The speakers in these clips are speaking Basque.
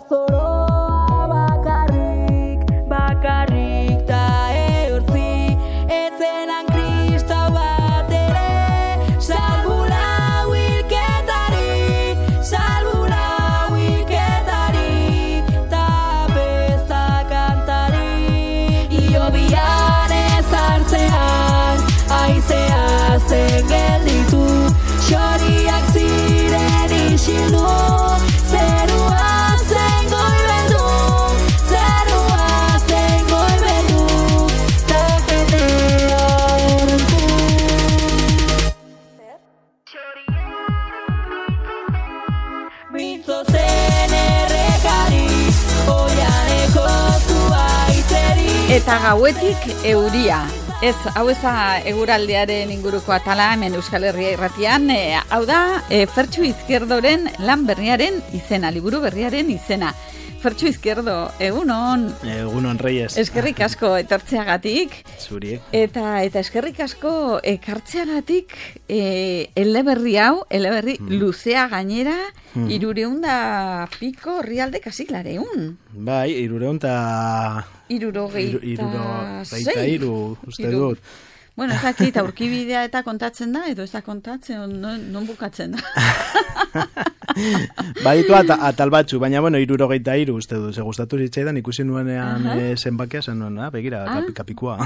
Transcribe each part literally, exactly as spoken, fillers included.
zoroa bakarrik, bakarrik ta eurtzi, etzenan kristau bat ere, salbula wilketari, salbula wilketari, ta besta kantari. Iobian ez hartzean, aizea zen gelditu, xoriak ziren isildu, zerua zen goibetu, zerua zen goibetu, ta jendea horrentu. Mintzo zen errekari, oianeko zuaitzeri. Eta gauetik euria. Ez, hau eza eguraldiaren inguruko atala hemen Euskal Herria irratian, e, hau da e, Fertxu Izquierdoren lan berriaren izena, liburu berriaren izena. Fertxu Izquierdo, egunon. Egunon, Reyes. Eskerrik asko etortzeagatik. Zuri. Eta eta eskerrik asko ekartzeagatik e, eleberri hau, eleberri mm. luzea gainera, mm. irureun da piko herrialde kasiklareun. Bai, irureun da... Irurogeita Irurogeita iru, uste dut. Bueno, ez dakit, aurkibidea eta kontatzen da, edo ez da kontatzen, non, non bukatzen da. Baditu at, atal batzu, baina, bueno, irurogeita iru, uste dut, ze gustatu zitzaidan, ikusi nuenean uh -huh. zenbakia, zen nuen, ah, begira, ah, kapi, kapikua.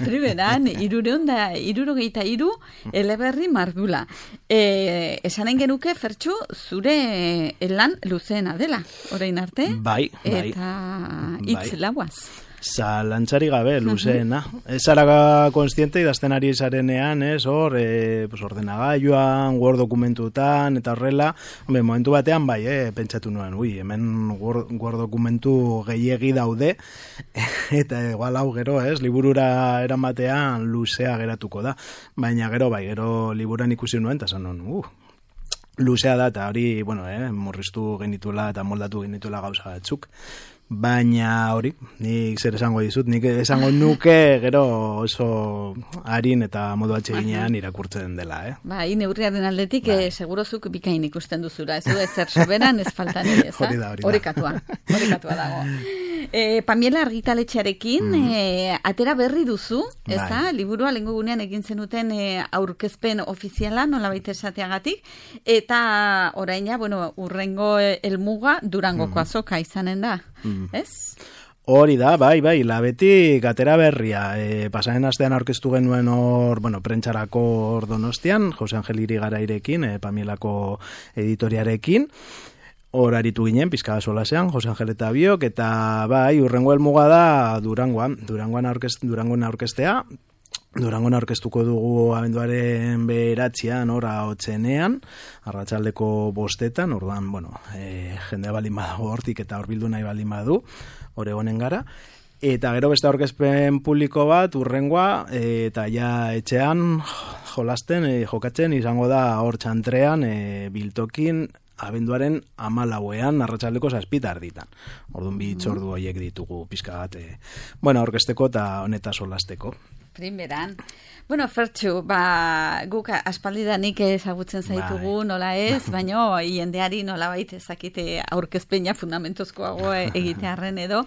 Primeran, irureun da, irurogeita iru, eleberri mardula. E, esanen genuke, Fertxu, zure lan luzeena dela, orain arte? Bai, bai. Eta hitz bai. Lauaz. Zalantzari gabe, luzeena. Ez zara konstiente idazten ari zarenean, ez, hor, e, pues, ordenagailuan, Word dokumentutan, eta horrela, hombre, momentu batean, bai, eh, pentsatu nuen, ui, hemen Word, Word dokumentu gehiegi daude, eta igual hau gero, ez, liburura eramatean luzea geratuko da. Baina gero, bai, gero liburan ikusi nuen, eta zan nuen, uh, luzea da, eta hori, bueno, eh, murriztu genituela eta moldatu genituela gauza batzuk. Baina hori, nik zer esango dizut, nik esango nuke gero oso harin eta modu atseginean irakurtzen dela, eh? Ba, hi neurriaren aldetik, eh, segurozuk bikain ikusten duzura, ez du ezer soberan ez faltan ere, ez da? Hori da, hori da. Horikatua, horikatua dago. E, Pamiela argitaletxearekin mm. e, atera berri duzu, ez da? Bai. Liburua lehengo gunean egin zenuten e, aurkezpen ofiziala, nolabait esateagatik, eta oraina, bueno, urrengo helmuga Durangoko mm. azoka izanen da, mm. ez? Hori da, bai, bai, labetik atera berria. E, pasaren astean aurkeztu genuen hor, bueno, prentxarako hor Donostian, Jose Angel Irigarairekin, e, Pamielako editoriarekin, hor aritu ginen, pizkada solasean, Jose Angel eta biok, eta bai, urrengo helmuga da Durangoan, Durangoan aurkest, Durangoan aurkestea, Durangoan aurkeztuko dugu abenduaren beratzean, ora hotzenean, arratsaldeko bostetan, orduan, bueno, e, jendea baldin badago hortik eta hor bildu nahi baldin badu, hor egonen gara, eta gero beste aurkezpen publiko bat, urrengoa, e, eta ja etxean jolasten, e, jokatzen, izango da hor txantrean, e, biltokin, abenduaren amalauean arratsaldeko zazpitar ditan. Orduan bi itzordu horiek ditugu pizka bat, e, bueno, aurkezteko eta honeta solasteko. Primeran. Bueno, Fertxu, ba, guk aspaldidanik ezagutzen zaitugu, bai. Nola ez, baino jendeari nola baita ezakite aurkezpeina fundamentuzkoago egitearren edo.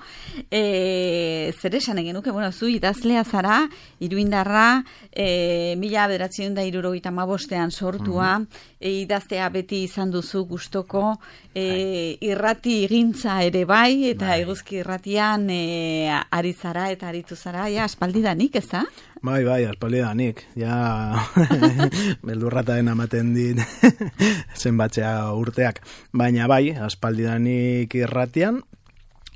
E, zer esan egin nuke, bueno, zu idazlea zara, iruindarra, e, mila bederatzen da irurogeita hamabostean sortua, mm-hmm. e, idaztea beti izan duzu gustoko, e, irrati egintza ere bai, eta bai. Eguzki irratian e, ari zara eta aritu zara, ja, aspaldidanik, ez da? Bai, bai, aspaldidanik, ja beldurrataen amaten dit zenbatzea urteak, baina bai, aspaldidanik irratian,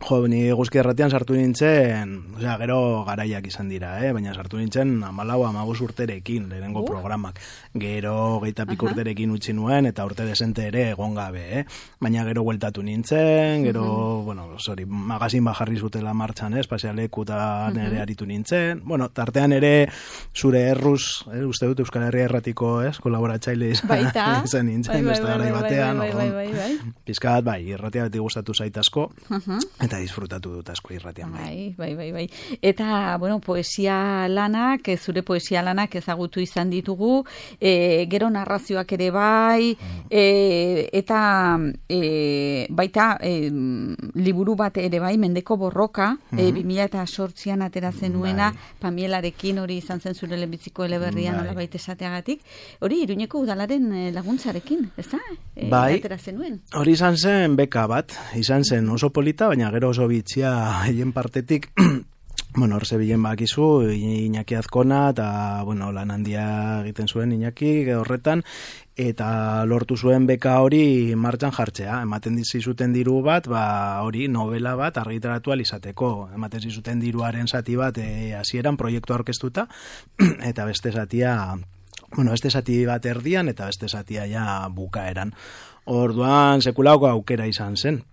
jo, ni Eguzki irratian sartu nintzen, osea, gero garaiak izan dira, eh? Baina sartu nintzen hamalau hamabost urterekin, lehenengo uh. programak, gero geita pik uh -huh. urterekin utzi nuen, eta urte desente ere egon gabe, eh? Baina gero bueltatu nintzen, gero, uh -huh. bueno, sorry, magazin bajarri zutela martxan, eh? Espazialekutan uh -huh. ere aritu nintzen, bueno, tartean ere zure erruz, eh? Uste dut Euskal Herria Erratiko, eh? Kolaboratzaile izan nintzen, beste garai batean, pizkat, bai, irratia beti gustatu zaitasko, uh -huh. eta eta disfrutatu dut asko irratian bai. Bai, bai, bai, bai. Eta, bueno, poesia lanak, zure poesia lanak ezagutu izan ditugu, e, gero narrazioak ere bai, e, eta e, baita e, liburu bat ere bai, Mendeko borroka, e, bi mila zortzian atera zenuena, bai. Pamielarekin hori izan zen zure lehenbiziko eleberrian bai. Nolabait esateagatik. Hori, Iruñeko udalaren laguntzarekin, ez da? E, bai, atera zenuen. Hori izan zen beka bat, izan zen oso polita, baina gero oso bitxia hien partetik, bueno, hor zebilen bakizu, Iñaki Azkona, eta, bueno, lan handia egiten zuen Iñaki horretan, eta lortu zuen beka hori martxan jartzea. Ematen dizuten diru bat, ba hori novela bat argitaratu alizateko. Ematen dizuten diruaren zati bat e, hasieran proiektu aurkeztuta, eta beste zatia, bueno, beste zati bat erdian, eta beste zatia ja bukaeran. Orduan sekulako aukera izan zen.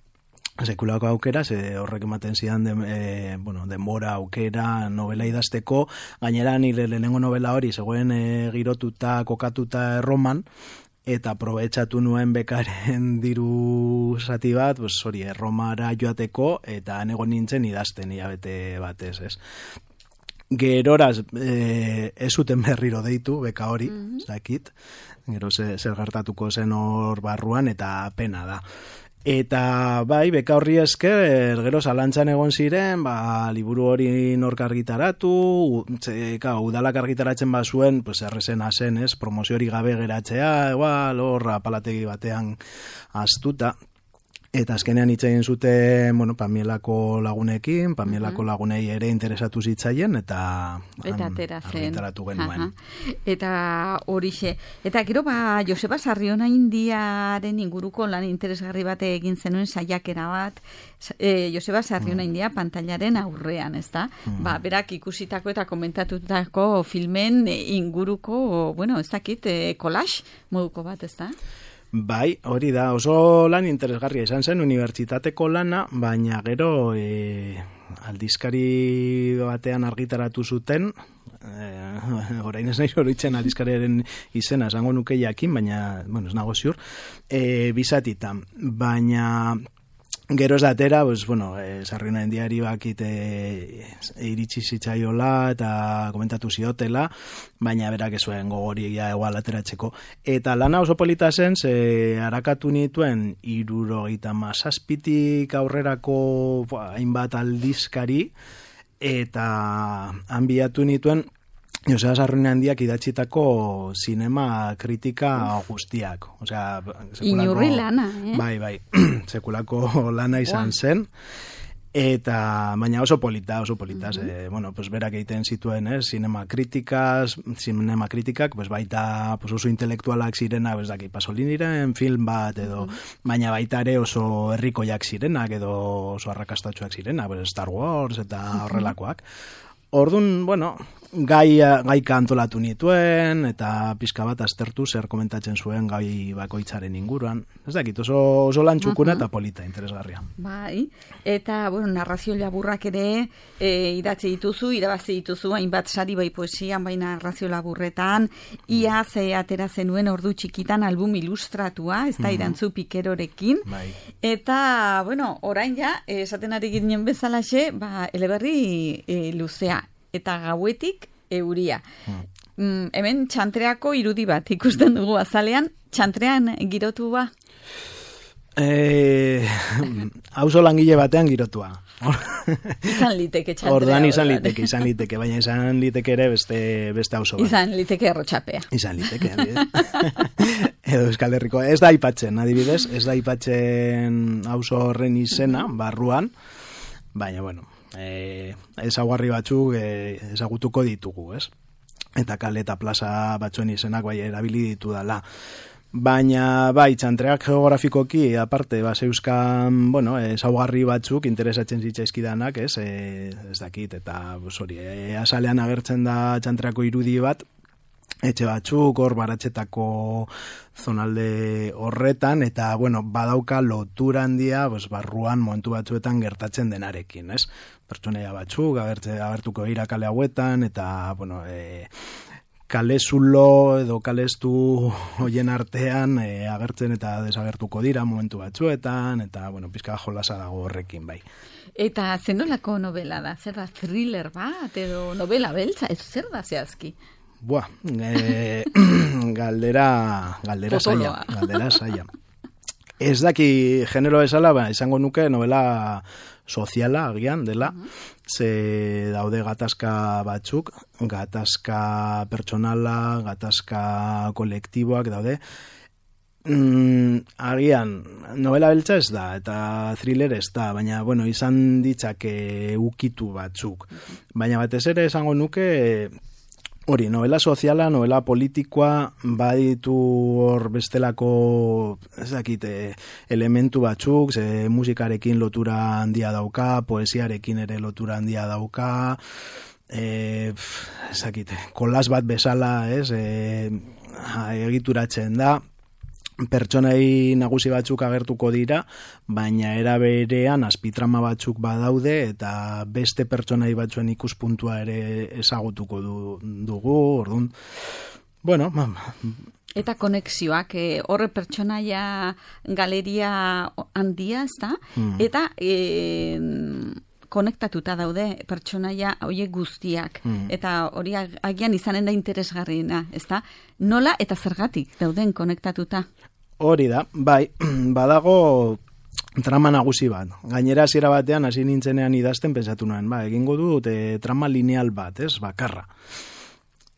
Sekulako aukera, ze horrek ematen zidan de, e, bueno, denbora aukera novela idazteko, gainera nire lehenengo novela hori zegoen e, girotuta, kokatuta Erroman, eta aprobetxatu nuen bekaren diru zati bat, pues, hori, Erromara joateko, eta nego nintzen idazten hilabete batez, ez. Geroraz, e, ez zuten berriro deitu, beka hori, mm-hmm. zakit, gero zer gertatuko zen hor barruan, eta pena da. Eta bai, beka horri esker, gero zalantzan egon ziren, ba, liburu hori nork argitaratu, zeka, udalak argitaratzen bazuen, pues errezena zen, ez, promozio hori gabe geratzea, igual, hor, apalategi batean astuta. Eta azkenean hitz egin zuten, bueno, Pamielako lagunekin, Pamielako lagunei ere interesatu zitzaien, eta eta atera zen. Argitaratu genuen. Aha. Eta horixe. Eta gero, ba, Joseba Sarriona Indiaren inguruko lan interesgarri bate egin zenuen saiakera bat, e, Joseba Sarriona mm. India pantailaren aurrean, ez da? Mm. Ba, berak ikusitako eta komentatutako filmen inguruko, bueno, ez dakit, e, collage moduko bat, ez da? Bai, hori da, oso lan interesgarria izan zen unibertsitateko lana, baina gero e, aldizkari batean argitaratu zuten, e, orain ez nahi horitzen aldizkariaren izena, esango nuke jakin, baina, bueno, ez nago ziur, e, bizatitan, baina gero ez datera, pues, bueno, e, Sarriona Indiari bakit e, iritsi zitzaiola eta komentatu ziotela, baina berak ez zuen gogoria egual ateratzeko. Eta lana oso polita zen, ze harakatu nituen hirurogeita hamazazpitik aurrerako hainbat aldizkari, eta hanbiatu nituen Joseba Sarriona Handiak idatzitako zinema kritika guztiak. Osea, inurri lana, eh? Bai, bai, sekulako lana izan wow. zen. Eta, baina oso polita, oso polita. Mm-hmm. eh, bueno, pues berak egiten zituen, eh? Zinema kritikaz, zinema kritikak, pues baita pues oso intelektualak zirena, pues daki, Pasoliniren film bat, edo, mm-hmm. baina baita ere oso herrikoiak zirenak, edo oso arrakastatxoak zirenak, pues Star Wars eta horrelakoak. Orduan, bueno, gai, gaika antolatu nituen, eta pizka bat aztertu zer komentatzen zuen gai bakoitzaren inguruan. Ez dakit, oso, oso lan txukuna eta polita, interesgarria. Bai, eta, bueno, narrazio laburrak ere e, idatzi dituzu, irabazi dituzu, hainbat sari bai poesian, bai narrazio laburretan, ia ze atera zenuen ordu txikitan album ilustratua, ez da, Irantzu Pikerorekin, bai. Eta, bueno, orain ja, esaten ari ginen bezalaxe, ba, eleberri e, luzea. Eta gauetik euria. Hmm. Mm, hemen txantreako irudi bat ikusten dugu azalean, txantrean girotu ba? Eh, auzo langile batean girotua. Izan liteke txantrea. Orduan izan liteke, izan liteke, baina izan liteke ere beste, beste auzo bat. Izan liteke errotxapea. Izan liteke, edo Euskal Herriko. Ez da aipatzen, adibidez, ez da aipatzen auzo horren izena, barruan, baina, bueno, Eh, ezaguarri batzuk eh, ezagutuko ditugu, ez? Eta kale eta plaza batzuen izenak bai erabili ditu dala. Baina, bai, txantreak geografikoki, aparte, ba, zeuzkan, bueno, ezaugarri batzuk interesatzen zitzaizkidanak, ez? E, ez dakit, eta, hori, e, azalean agertzen da txantreako irudi bat, etxe batzuk, hor baratxetako zonalde horretan, eta, bueno, badauka lotura handia, pues, barruan momentu batzuetan gertatzen denarekin, ez? Pertsonaia batzuk, agertze, agertuko dira kale hauetan, eta, bueno, e, kalezulo edo kalestu hoien artean e, agertzen eta desagertuko dira momentu batzuetan, eta, bueno, pizka jolasa dago horrekin, bai. Eta zenolako novela da? Zer da, thriller bat edo novela beltza? Ez zer da zehazki? Buah, e, galdera, galdera zaila, galdera zaila. Ez daki genero esala, ba, izango nuke novela soziala agian dela, ze daude gatazka batzuk, gatazka pertsonala, gatazka kolektiboak daude. Mm, agian, novela beltza ez da, eta thriller ez da, baina, bueno, izan ditzake ukitu batzuk. Baina batez ere esango nuke, hori, novela soziala, novela politikoa, baditu hor bestelako, ez dakit, elementu batzuk, ze musikarekin lotura handia dauka, poesiarekin ere lotura handia dauka, e, ez dakit, kolas bat bezala, ez, e, egituratzen da, pertsonai nagusi batzuk agertuko dira, baina era berean azpitrama batzuk badaude eta beste pertsonai batzuen ikuspuntua ere ezagutuko du, dugu, orduan. Bueno, eta konexioak, eh, horre pertsonaia galeria handia, ez da? Mm. Eta eh, konektatuta daude pertsonaia horiek guztiak. Mm. Eta hori agian izanen da interesgarriena, ez da? Nola eta zergatik dauden konektatuta? Hori da, bai, badago trama nagusi bat. Gainera hasiera batean hasi nintzenean idazten pentsatu nuen, ba, egingo dut e, trama lineal bat, ez, bakarra.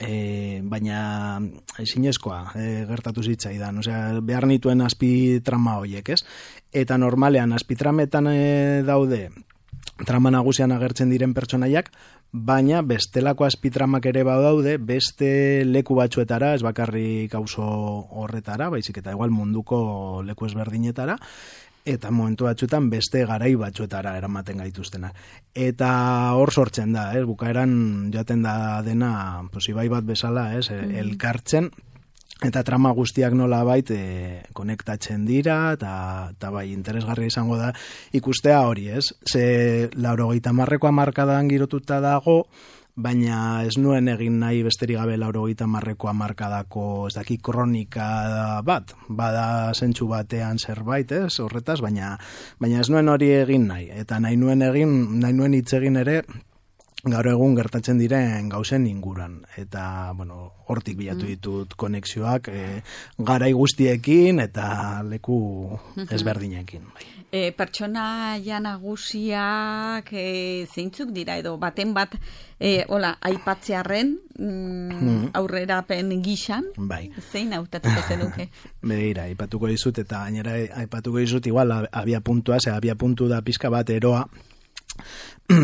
E, baina ezinezkoa e, gertatu zitzaidan, osea, behar nituen azpi trama horiek, ez? Eta normalean azpitrametan e, daude trama nagusian agertzen diren pertsonaiak, baina bestelako azpitramak ere badaude, beste leku batzuetara, ez bakarrik auzo horretara, baizik eta igual munduko leku ezberdinetara, eta momentu batzuetan beste garai batzuetara eramaten gaituztenak. Eta hor sortzen da, ez, bukaeran joaten da dena, pues, ibai bat bezala, ez, mm. elkartzen, eta trama guztiak nola bait e, konektatzen dira, eta bai, interesgarria izango da ikustea hori, ez? Ze laurogeita hamarreko hamarkadan girotuta dago, baina ez nuen egin nahi besterik gabe laurogeita hamarreko hamarkadako, ez daki, kronika bat, bada zentsu batean zerbait, ez? Horretaz, baina, baina ez nuen hori egin nahi, eta nahi nuen egin, nahi nuen hitz egin ere, gaur egun gertatzen diren gauzen inguran. Eta, bueno, hortik bilatu ditut konexioak e, garai guztiekin eta leku ezberdinekin. E, pertsonaia nagusiak e, zeintzuk dira edo baten bat e, hola, aipatzearren mm, aurrerapen gixan, bai. Zein hautatuko zenuke? Begira, aipatuko dizut eta gainera aipatuko dizut igual abia puntua, ze abia puntu da pizka bat eroa.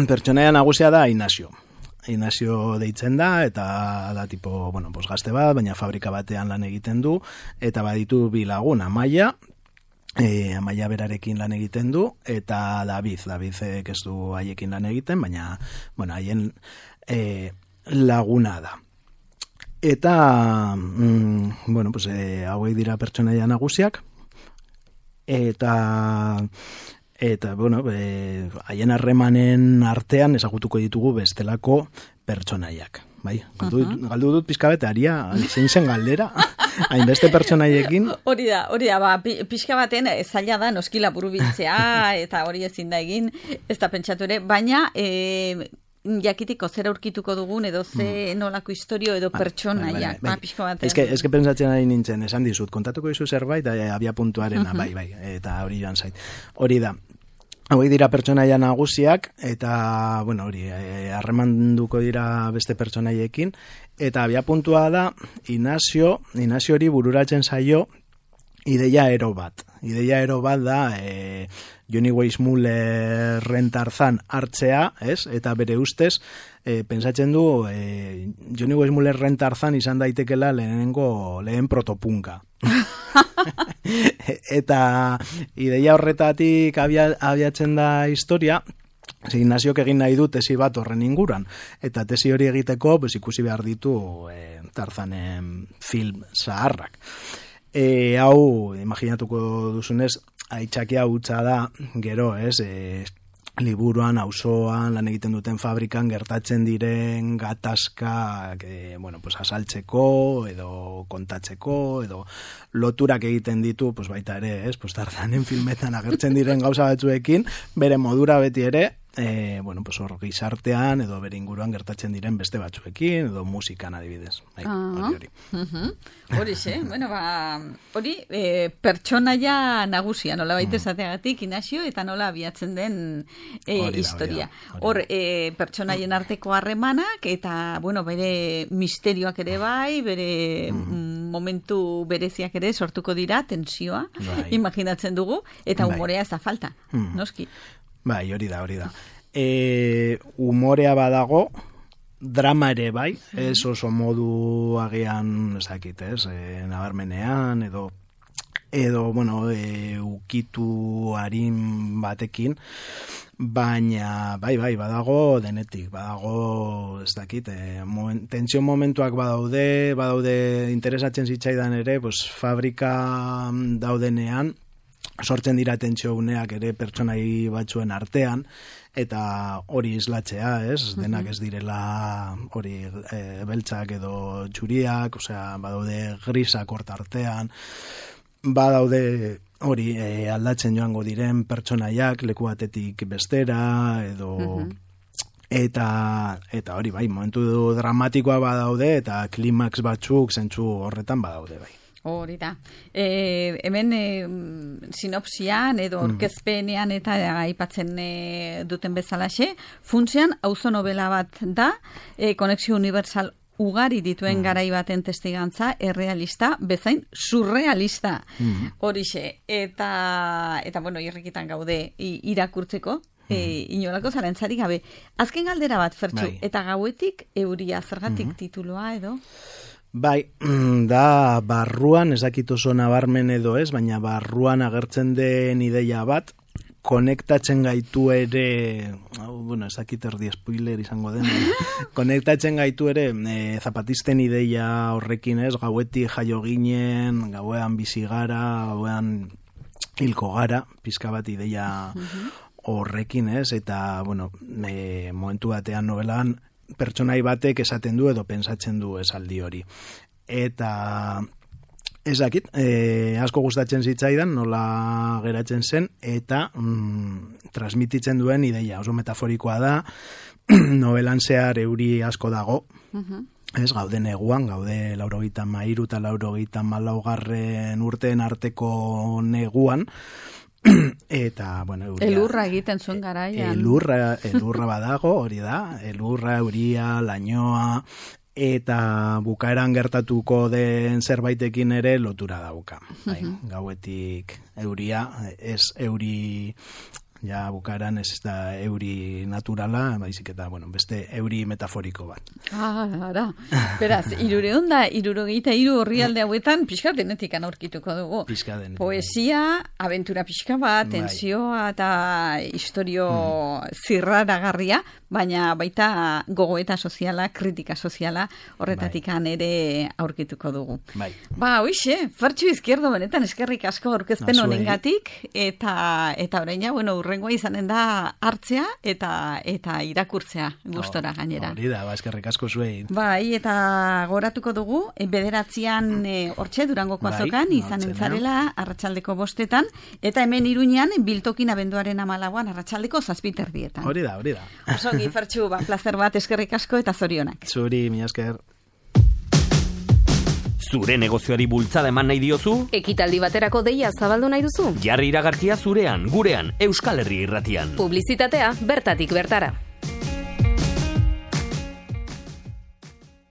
Pertsonaia nagusia da Inazio. Inazio deitzen da, eta da tipo, bueno, pues gazte bat, baina fabrika batean lan egiten du, eta baditu bi lagun, Amaia, e, Amaia berarekin lan egiten du, eta David, David ez du haiekin lan egiten, baina, bueno, haien e, laguna da. Eta, mm, bueno, pues e, hauek dira pertsonaia nagusiak, eta... Eta, bueno, haien harremanen artean ezagutuko ditugu bestelako pertsonaiak. Bai, galdu, uh-huh. galdu dut pixka bete, aria, zein zen galdera, hainbeste pertsonaiekin. Hori da, hori da, ba, pixka baten zaila da noskila buru biltzea, eta hori ezin da egin, ez da pentsatu ere, baina... E, jakitiko zer aurkituko dugun edo ze nolako historio edo pertsonaiak, ba, pixko batean. Ez que, ez que pentsatzen ari nintzen, esan dizut, kontatuko dizu zerbait, abia puntuarena, bai, bai, eta hori joan zait. Hori da, hauek dira pertsonaia nagusiak, eta, bueno, hori, harremanduko dira beste pertsonaiekin, eta abia puntua da, Inazio, Inazio hori bururatzen zaio, ideia ero bat. Ideia ero bat da, e, Johnny Weissmullerren Tarzan hartzea, ez? Eta bere ustez, e, pentsatzen du, e, Johnny Weissmullerren Tarzan izan daitekela lehenengo, lehen protopunka. Eta ideia horretatik abia, abiatzen da historia, Inaziok egin nahi du tesi bat horren inguran. Eta tesi hori egiteko, pues, ikusi behar ditu e, Tarzanen film zaharrak. E, hau, imaginatuko duzunez, aitzakia hutsa da, gero, ez, e, liburuan, auzoan, lan egiten duten fabrikan gertatzen diren gatazkak, e, bueno, pues asaltzeko, edo kontatzeko, edo loturak egiten ditu, pues baita ere, ez, pues Tarzanen filmetan agertzen diren gauza batzuekin, bere modura beti ere, e, bueno, pues hor gizartean, edo bere inguruan gertatzen diren beste batzuekin, edo musikan adibidez. Bai, hori hori. Hori xe, bueno, ba, hori, e, pertsonaia nagusia, nola baita esateagatik, Inazio, eta nola abiatzen den e, Hori da, historia. hori da, hori Hor, e, pertsonaien arteko harremanak, eta, bueno, bere misterioak ere bai, bere mm. momentu bereziak ere sortuko dira, tensioa, Bai. imaginatzen dugu, eta Bai. umorea ez da falta, Mm. noski. Bai, hori da, hori da. E, umorea badago, drama ere bai, ez oso modu agian, ez dakit, ez, e, nabarmenean, edo, edo, bueno, e, ukitu harin batekin, baina, bai, bai, badago denetik, badago, ez dakit, e, moment, tentsio momentuak badaude, badaude interesatzen zitzaidan ere, pues, fabrika daudenean, sortzen dira tentsio uneak ere pertsonai batzuen artean, eta hori islatzea, ez? Denak ez direla hori e, beltzak edo txuriak, osea, badaude grisak hort artean, badaude hori e, aldatzen joango diren pertsonaiak leku batetik bestera, edo... Uh-huh. Eta, eta hori bai, momentu dramatikoa badaude, eta klimaks batzuk zentzu horretan badaude bai. Hori da. E, hemen e, sinopsian edo orkezpenean eta aipatzen e, duten bezalaxe, funtsean auzo novela bat da, e, konexio universal ugari dituen mm. garai baten testigantza, errealista, bezain surrealista. Mm. Horixe. Eta, eta bueno, irrikitan gaude i, irakurtzeko, mm. e, inolako zarantzari gabe. Azken galdera bat, Fertxu, bai. Eta gauetik euria, zergatik mm. tituloa edo? Bai, da barruan, ez dakit oso nabarmen edo ez, baina barruan agertzen den ideia bat, konektatzen gaitu ere, oh, bueno, ez dakit erdi spoiler izango den, konektatzen gaitu ere e, zapatisten ideia horrekin ez, gauetik jaio ginen, gauean bizi gara, gauean hilko gara, pizka bat ideia horrekin ez, eta, bueno, e, momentu batean novelan, pertsonai batek esaten du edo pensatzen du esaldi hori. Eta ez dakit, e, asko gustatzen zitzaidan, nola geratzen zen, eta mm, transmititzen duen ideia, oso metaforikoa da, novelan zehar euri asko dago, uh-huh. ez, gaude neguan, gaude laurogeita mairu eta laurogeita malaugarren urteen arteko neguan, eta, bueno, euria... Elurra egiten zuen garaian. Elurra, elurra badago, hori da, elurra, euria, lainoa, eta bukaeran gertatuko den zerbaitekin ere lotura dauka. Bai, gauetik euria, ez euri... Ja, bukaeran ez da euri naturala, baizik eta, bueno, beste euri metaforiko bat. Ah, ara. Beraz, irureun da, irurogeita iru horrialde hauetan, pixka denetik aurkituko dugu. Pixka denetik. Poesia, aventura pixka bat, tensioa eta historio mm. zirraragarria, baina baita gogoeta soziala, kritika soziala, horretatik bai. ere aurkituko dugu. Bai. Ba, hoixe, Fertxu Izquierdo benetan eskerrik asko aurkezpen honengatik, eta, eta orain ja, bueno, urrengoa izanen da hartzea eta eta irakurtzea gustora gainera. Hori da, ba, eskerrik asko zuei. Bai, eta goratuko dugu, bederatzian hortxe Durangoko azokan, bai, izanen zarela arratsaldeko bostetan, eta hemen Iruñean biltokin abenduaren hamalauan arratsaldeko zazpiterdietan. Hori da, hori da. Osongi, Fertxu, ba, plazer bat, eskerrik asko eta zorionak. Zuri, mila esker. Zure negozioari bultzada eman nahi diozu? Ekitaldi baterako deia zabaldu nahi duzu? Jarri iragarkia zurean, gurean, Euskal Herri Irratian. Publizitatea bertatik bertara.